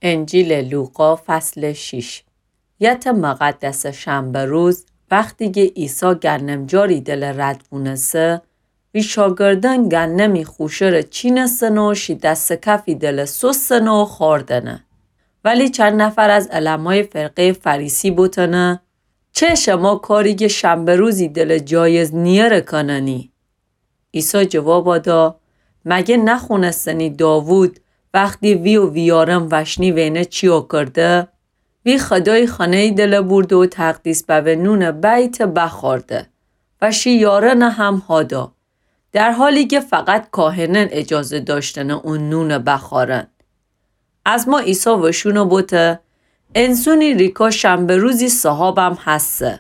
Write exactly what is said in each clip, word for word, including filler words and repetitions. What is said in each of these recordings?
انجیلٚ لوقا، فصلٚ شیش. یتٚ مقدسٚ شنبه روز، وختی گه عیسی گندمجاری دلٚ رد وونسه، وی شاگردأن گندمی خوشه‌ره چینستنه و شی دس کفی دلٚ سوستنه و خوردنه. ولی چند نفر از علمایٚ فرقه‌یٚ فریسی بوتنه: چه شما کاری گه شنبه روزی دلٚ جایز نییه ره کننی؟ عیسی جوابا دا: مگه نخونستنی داوود وختی وی و ویارم وشنی وینه چیا کرده؟ وی خودای خانه‌یی دلٚ بورده و تقدیس ببه نونٚ بیته بخورده و شی یارأنه هم هادا، در حالی گه فقط کاهنأن اجازه داشتنه اون نونه بخورن. ازما عیسی وشونه بوته: انسونی ریکا شنبه روزی صاحابم هسه.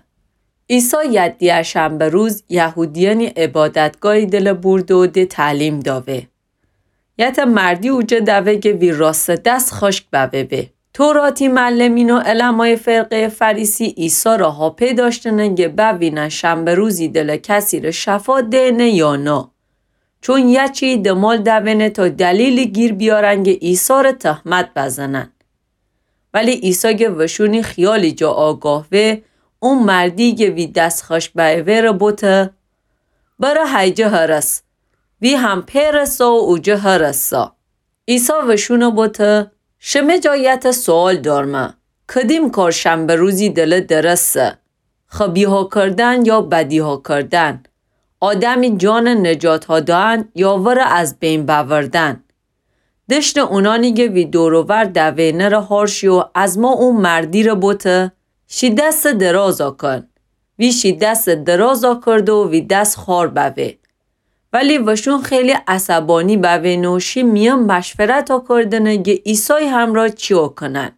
عیسی یدیه شنبه روز یهودیأنی عبادتگاهی دلٚ بورده و ده تعلیم داوه. یتٚ مردی اوجه دوه گه وی راستٚ دس خشک ببه به. توراتی معلمین و علمایٚ فرقه‌یٚ فریسی عیسی ره هاپی داشتنه گه بوینن شنبه روزی دلٚ کسی ره شفا دینه یا نه. چون یه چی دمال دوینه تا دلیلی گیر بیارن گه عیسی ره تهمت بزنن. ولی عیسی گه وشونی خیالی جا آگاه وه، اون مردی گه وی دس خشک بأیوه ره بوته: بره هیجه هرس. وی هم پیرسا و اوجه هرسا. عیسی وشونه بوته: شمه جا یتٚ سوال دارمه، کدیم کار شنبه روزی دلٚ درسته؟ خبیها کردن یا بدیها کردن؟ آدمی جانٚ نجات هادأن یا وره از بین بأوردن؟ دشتٚ اونانی گه وی دور و ور دوینه ره هار شی و ازما او مردی ره بوته: شی دستٚ درازا کن. وی شی دستٚ درازا کرده و وی دس خوار بوه. ولی وشون خیلی عصبانی بوینه و شی میأن مشورتا کردنه گه عیسای همرأ چیا کنن.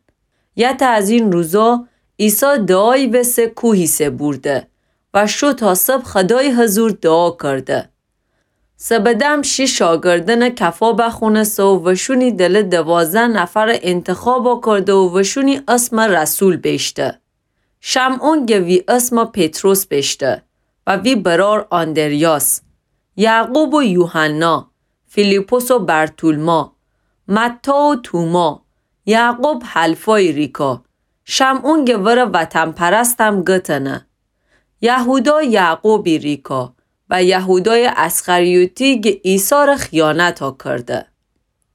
یتٚ از این روزا عیسی دعایی وسه کوهی سه بورده و شو تا صبح خودایٚ حضور دعا کرده. سبدم شی شاگردأنٚ کفا بخونسه و وشونی دلٚ دوازده نفرٚ انتخابا کرده و وشونی اسمٚ رسول بیشته. شمعون گه وی اسمٚ پطرس بیشته و وی برار آندریاس، یعقوب و یوحنا، فیلیپس و برتولما، متی و توما، یعقوب حلفایٚ ریکا، شمعون گه وره وطن‌پرستم گتنه، یهودا یعقوبی ریکا و یهودایٚ اسخریوطی گه عیسی ره خیانتا کرده.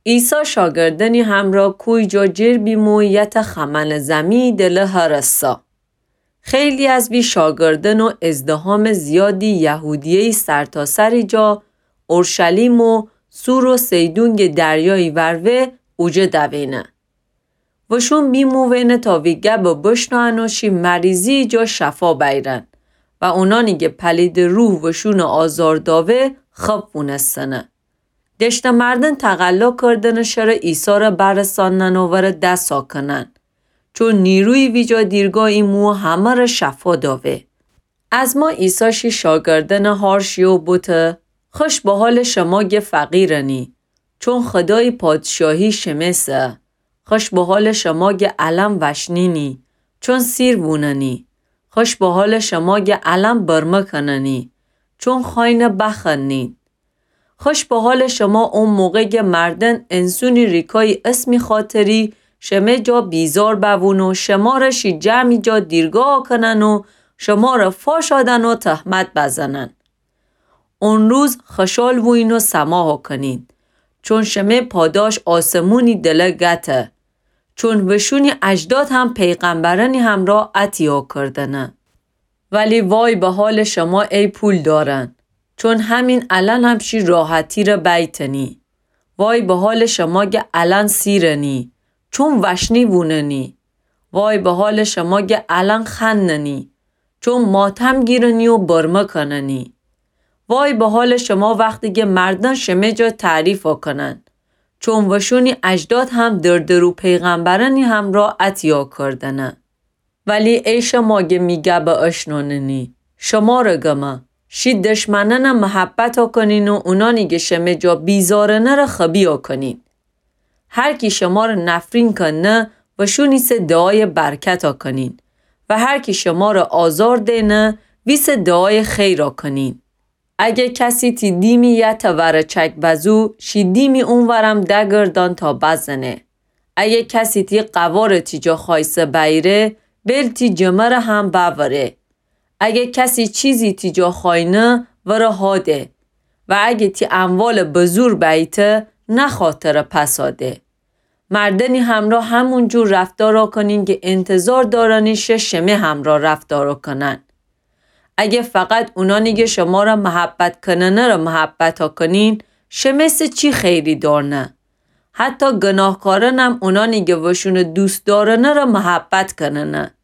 عیسی شاگردأنی همرأ کوی جا جر بیمو یتٚ خمنٚ زمیی دلٚ هرسا. خیلی از وی شاگردأن و ازدحامٚ زیادی یهودیه‌یی سرتاسری جا، اورشلیم و صور و صیدون گه دریایی ور وه، اوجه دوینه. وشون بیمووینه تا وی گبٚ بشنوئن و شی مریضیی جا شفا بیرن و اونانی گه پلیدٚ روح وشونٚ آزار داوه، خب وونستنه. دشتٚ مردن تقلا کردنٚ شره عیسی ره برسانن و وره دسا کنن. چون نیرویی ویجا دیرگاه ایمو همه ره شفا داوه. ازما عیسی شی شاگردأنٚ هار شی و بوته: خوش به حالٚ شما گه فقیرنی، چون خودایٚ پادشاهی شمه‌سه. خوش به حالٚ شما گه الأن وشنینی، چون سیر ووننی. خوش به حالٚ شما گه الأن برمه کننی، چون خوأینه بخوأنین. خوش به حالٚ شما او موقع گه مردن انسونی ریکایی اسمی خاطری شمه جا بیزار بوون و شماره شی جمعی جا دیرگاه کنن و شماره فاشادن و تهمت بزنن. اون روز خوشحال ووین و سماحا کنین، چون شمه پاداش آسمونی دله گته. چون وشونی اجداد هم پیغمبرأنی همرأ اتیها کردنه. ولی وای به حالٚ شما ای پولدارأن، چون همین الأن هم شی راحتی ره بیتنی. وای به حالٚ شما گه الأن سیرنی، چون وشنی ووننی. وای به حالٚ شما گه الأن خوأننی، چون ماتم گیرنی و برمه کننی. وای به حالٚ شما وختی گه مردن شمه جا تعریفا کنن، چون وشونی اجداد هم دردرو پیغمبرأنی همرأ اتیها کردنه. ولی ای شما گه می گبه اشنوننی، شماره گمه، شی دشمنأنه محبتا کنین و اونانی گه شمه جا بیزارنه ره خبیها کنین. هر کی شماره نفرین کنه، وشونی سه دعایٚ برکتا کنین و هر کی شماره آزار دینه، وی سه دعایٚ خیرا کنین. اگه کسی تی دیمی یتأ وره چک بزو، شی دیمی اونورم دگردان تا بزنه. اگه کسی تی قوارٚ تی جا خوایسه بأییره، بیل تی جمرٚ هم بأوره. اگه کسی چیزی تی جا خوأینه، ورٚ هاده. و اگه تی اموالٚ بزور بأییته، نخواه تره پسا ده. مردنی همرأ همون جور رفتارا کنین که انتظار دأرنی شه شمه همرأ رفتارا کنن. اگه فقط اونانی که شمارٚ محبت کننه‌رٚ محبتا کنین، شمه سه چی خیری دأرنه؟ حتی گناهکارنم اونانی که وشونٚ دوست دأرنه‌رٚ محبت کننه.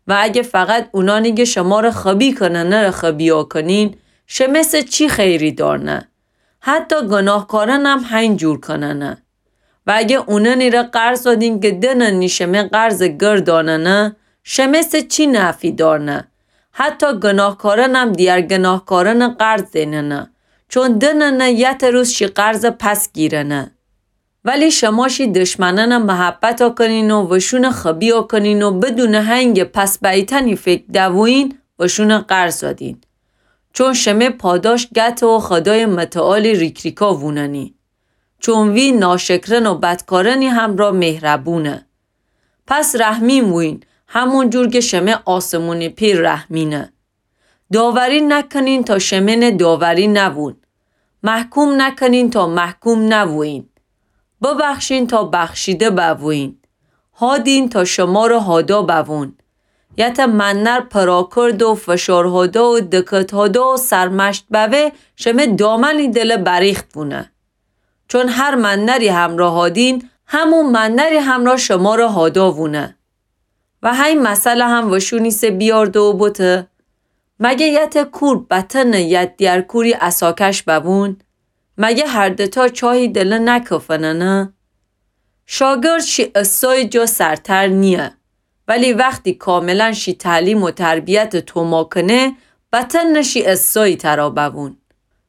و اگه فقط اونانی که شمارٚ خبی کننه‌رٚ خبیا کنین، شمه سه چی خیری دأرنه؟ حتی گناهکارنم هین جور کننه. و اگه اونانیره قرض دین که دننی شمه قرضٚ گرداننه، شمه سه چی نفعی دأرنه؟ حتی گناهکارنم دیگر گناهکارنٚ قرض دیننه، چون دننه یتأ روز شی قرضٚ پس گیرنه. ولی شما شی دشمنأنٚ محبتا کنین و وشونٚ خبیا کنین و بدونٚ هنگٚ پس بأییتنی فکر دوویین، وشونٚ قرض دین. چون شمه پاداش گته و خودایٚ متعالی ریک‌ریکا ووننی. چون وی ناشکرن و بدکارنی همرأ مهربونه. پس رحمیم وویین، همون جور که شمه آسمونی پئر رحمینه. داوری نکنین تا شمه نه داوری نوون. محکوم نکنین تا محکوم نوویین. ببخشین تا بخشیده بوویین. هادین تا شمارٚ هادا بوون. یتأ منر پراکرد و فشار هادا و دکت هادا و سرمشت بوه، شمه دامنی دلٚ بریخت وونه. چون هر منری همرأ هادین، همون منری همرأ شمارٚ هادا وونه. و هی مثل هم وشونی سه بیارده و بوته، مگه یتأ کور بتأنه یت دیگر کوری عصاکش بوون؟ مگه هر دوتا چاهی دله نکفننه؟ شاگرد شی استادی جا سرتر نییه، ولی وختی کاملا شی تعلیم و تربیت توما کنه، بتأنه شی استادی ترا بوون.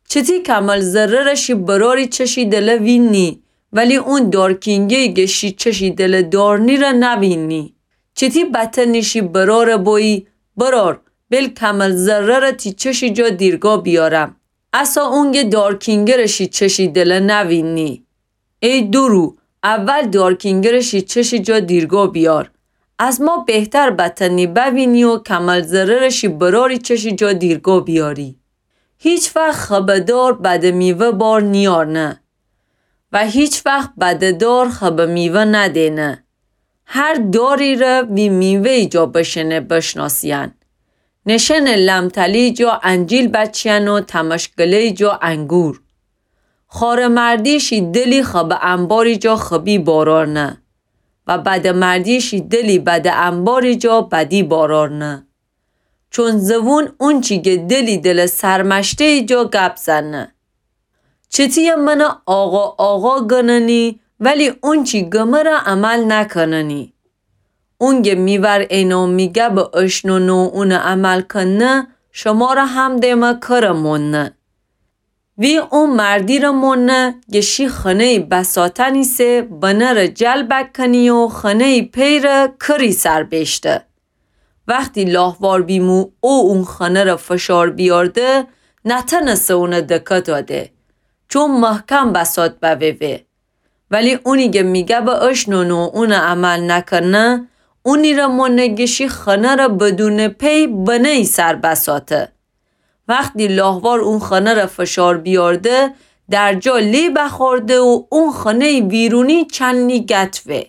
چتی کمل ذره‌ره شی براری چشی دله وینی، ولی اون دارکینگه‌یی گه شی چشی دله دارنی ره نوینی؟ چتی بتأنی شی براره بویی، برار، بیل کمل ذره‌ره تی چشی جا دیرگا بیارم، اسا اونگه دارکینگه‌ره شی چشی دله نوینی؟ ای دورو، اول دارکینگه‌ره شی چشی جا دیرگا بیار. از ما بهتر بتأنی بوینی و کمل ذره‌ره شی براری چشی جا دیرگا بیاری. هیچ وخت خبه دار بده میوه بار نیارنه و هیچ وخت بده دار خبه میوه ندینه. هر داری ره وی میوه‌یی جا بشنه بشناسیین. نشنه لم‌تلی جا انجیل بچیین و تمشکله‌یی جا انگور. خواره‌مردی شی دلی خبه انباری جا خبی بارارنه و بده‌مردی شی دلی بده انباری جا بدی بارارنه. چون زوون اونچی گه دلی دله سرمشته‌یی جا گپ زنه. چتی‌یه منه آقا آقا گننی، ولی اونچی گمه ره عمل نکننی. اونگه می ور اینه و می گبه اشنونه و اونه عمل کنه، شمره هم دیمه کره مونه. وی او مردی ره مونه گه شی خنه‌یی بساتن ایسه، بنه ره جلب کنی و خنه‌یی پئره کری سر بیشته. وختی لاهوار بیمو او اون خنه ره فشار بیارده، نتنسه اونه دکه داده، چون محکم بسات بوه وه. ولی اونی گه می گبه اشنونه و اونه عمل نکنه، اونی ره مونه گه شی خنه ره بدون پی بنه‌یی سر بساته. وختی لاهوار اون خنه ره فشار بیارده، در جا لی بخورده و اون خنه‌یی ویرونی چنی گت وه.